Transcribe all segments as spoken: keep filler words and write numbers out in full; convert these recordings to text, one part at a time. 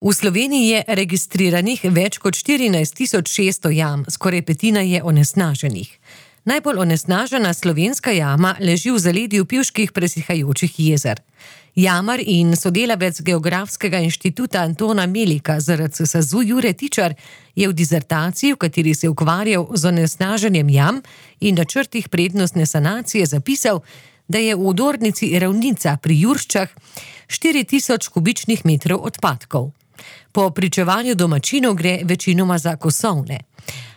V Sloveniji je registriranih več kot štirinajst tisoč šeststo jam, skoraj petina je onesnaženih. Najbolj onesnažena slovenska jama leži v zaledju pivških presihajočih jezer. Jamar in sodelavec Geografskega inštituta Antona Melika z R C S A Z U Jure Tičar je v dizertaciji, v kateri se je ukvarjal z onesnaženjem jam in načrtih prednostne sanacije, zapisal, da je v Odornici Ravnica pri Jurščah štiri tisoč kubičnih metrov odpadkov. Po pričevanju domačinov gre večinoma za kosovne.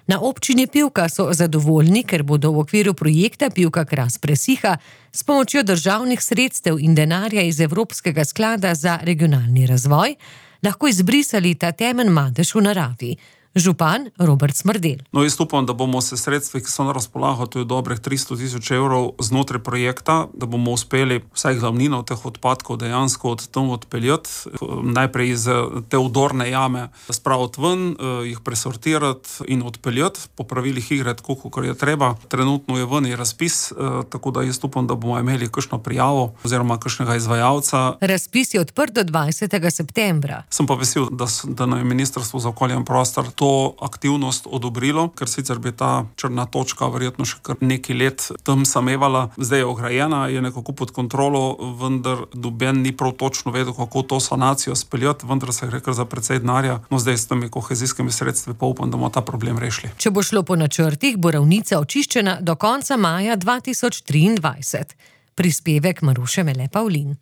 Na občini Pivka so zadovoljni, ker bodo v okviru projekta Pivka Kras presiha s pomočjo državnih sredstev in denarja iz Evropskega sklada za regionalni razvoj lahko izbrisali ta temen madež v naravi. Župan Robert Smrdelj. No, jaz upam, da bomo se sredstvi, ki so na razpolago, to je dobrih tristo tisoč evrov znotraj projekta, da bomo uspeli vsaj glavnino teh odpadkov dejansko od tam odpeljati, najprej iz te odorne jame spraviti ven, jih presortirati in odpeljati, po pravilih igre, tako kot je treba. Trenutno je ven razpis, tako da jaz upam, da bomo imeli kakšno prijavo oziroma kakšnega izvajalca. Razpis je odprt do dvajsetega septembra. Sem pa vesel, da, da nam je Ministrstvo za okolje in prostor to aktivnost odobrilo, ker sicer bi ta črna točka verjetno še kar nekaj let tam samevala. Zdaj je ograjena, je nekako pod kontrolo, vendar noben ni prav točno vedel, kako to sanacijo speljati, vendar se gre kar za precej denarja. No, zdaj s temi kohezijskimi sredstvi pa upam, da bomo ta problem rešili. Če bo šlo po načrtih, bo Ravnica očiščena do konca maja dva tisoč triindvajset. Prispevek Maruše Mele Pavlin.